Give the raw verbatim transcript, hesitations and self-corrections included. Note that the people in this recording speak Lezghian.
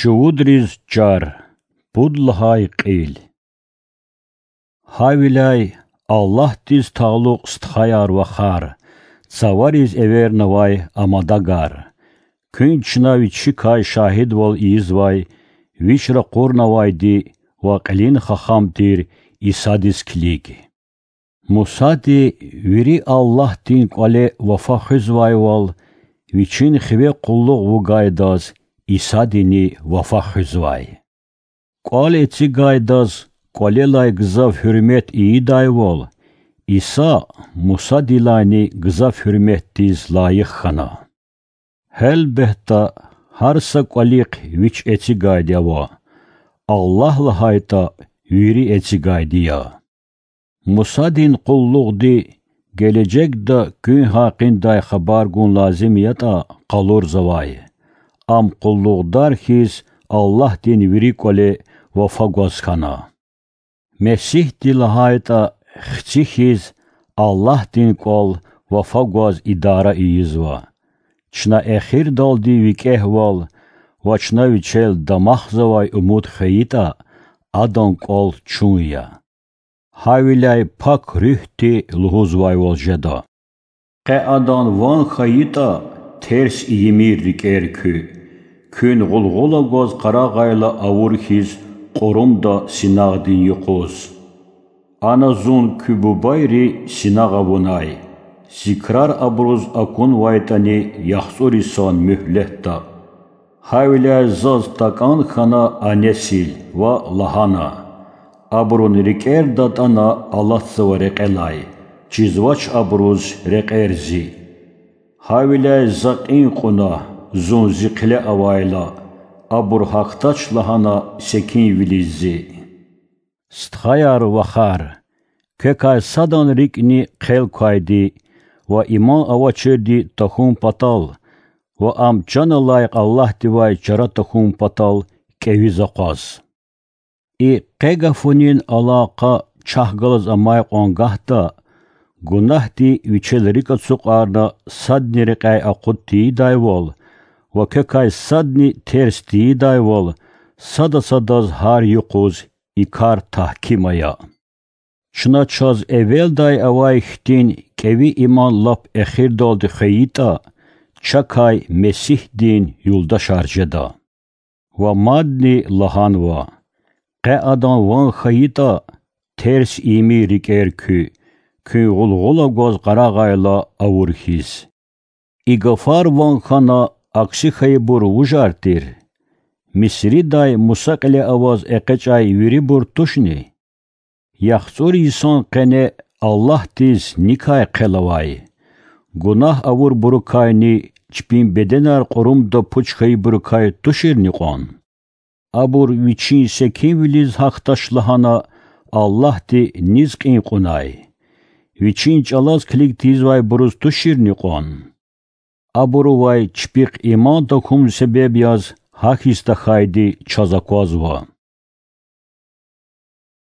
Чувудриз чар. Пуд лагьай кьил. Гьавиляй Аллагьдиз талукь стхаяр-вахар, цавариз эвернавай амадагар, куьн чна вичикай шагьидвал ийизвай, вич ракъурнавайди ва кьилин хахам тир Исадиз килиг. Мусади вири Аллагьдин кӀвале вафа хуьзвайвал, вичин хиве къуллугъ вугайдаз Исадини вафа хуьзвай. КӀвал эцигайдаз кӀвалелай гзаф гьуьрмет ийидайвал, Иса Мусадилайни гзаф гьуьрметдиз лайих хьана. Гьелбетда, гьар са кӀвалихъ вич эцигайди ава, Аллагь лагьайтӀа, вири эцигайди я. Мусадин къуллугъди гележегда куьн гьакъиндай хабар гун лазим ятӀа къалурзавай, ам къуллугъдар хьиз Аллагьдин вири кӀвале вафа гваз хьана. Месигьди лагьайтӀа, хци хьиз Аллагьдин кӀвал вафа гваз идара ийизва. Чна эхирдалди викӀегьвал ва чна вичел дамахзавай умуд хвейитӀа, адан кӀвал чун я. Гьавиляй Пак Руьгьди лугьузвайвал жеда: Къе адан ван хьайитӀа, терс ийимир рикӀер куь, куьн гъулгъула гваз къарагъайла авур хьиз кьурумда синагъдин юкъуз. Ана зун куь бубайри синагъ авунай, зи крар абуруз акунвайтӀани яхцӀур йисан муьгьлетда. Гьавиляй заз такӀан хьана а несил ва лагьана: Абурун рикӀер датӀана алатзава рекьелай, чизвач абуруз рекьер зи. Гьавиляй за кьин кьуна, зун зи хъиле авайла, абур гьахьдач лагьана секинвилиз зи. Стхаяр-вахар, квекай садан рикӀни хъел квайди ва иман авачирди тахьун патал ва ам чан алай Аллагьдивай чара тахьун патал кӀевиз акъваз. И къе гафунин алакъа чахъ галаз амай кьван гагьда, гунагьди вичел рикӀ ацукьарна садни рекьяй акъуд тийидайвал ва квекай садни терс тийидайвал, сада садаз гьар юкъуз и кар тагьким ая. Чна чаз эвелдай авай хьтин кӀеви иман лап эхирдалди хвейитӀа, чакай Месигьдин юлдашар жеда. Ва мадни лагьанва: Къе адан ван хьайитӀа, терс ийимир рикӀер куь, куьн гъулгъула гваз къарагъайла авур хьиз. И гафар ван хьана акси хьайибур вужар тир? Мисридай Муса кьиле аваз экъечӀай вирибур тушни? ЯхцӀур йисан къене Аллагьдиз никай хъел авай? Гунагь авурбурукайни чпин беденар кьурумда пуч хьайибурукай туширни кьван? Абур вичин секинвилиз гьахьдач лагьана Аллагьди низ кьин кьунай? Вичин чӀалаз килиг тийизвайбуруз туширни кьван? Абурувай чпихъ иман тахьун себеб яз гьахьиз тахьайди чаз аквазва.